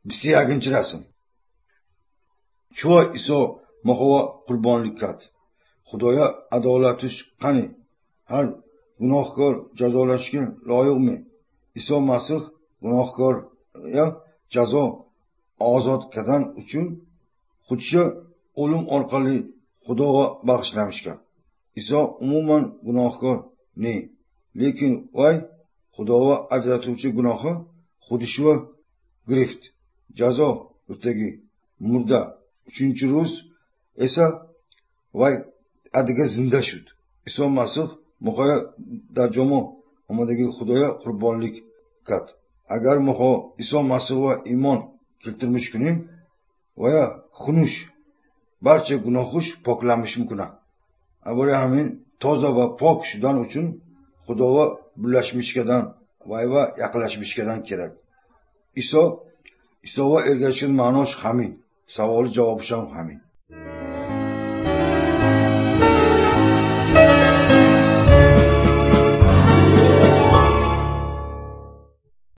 21 расм. Чува Исо мохова қурбонлик кард? Худоя адолатиш қани? Ҳар гуноҳкор ҷазолашга лоиқми? Исо Масih гуноҳкоря ҷазо озод кардан uchun худша o'lim orqali Xudoga bag'ishlamishgan. Iso umuman gunohkor ne, lekin vay Xudoga ajratuvchi gunohi xudishva girift. Jazo yurtdagi murda 3-ro'z esa vay adiga zinda shud. Iso Masih muhoya darjomo omadagi Xudoya qurbonlik kat. Agar muho Iso Masih va iymon keltirmish kunim va ya xunush barcha gunohush poklanish mumkin. Avvalo hamin toza va pok shudan uchun Xudoga birlashmishkadan va yaqinlashmishkadan kerak. Iso Isoga ergashgan ma'nosh hamin. Savoli javobi ham hamin.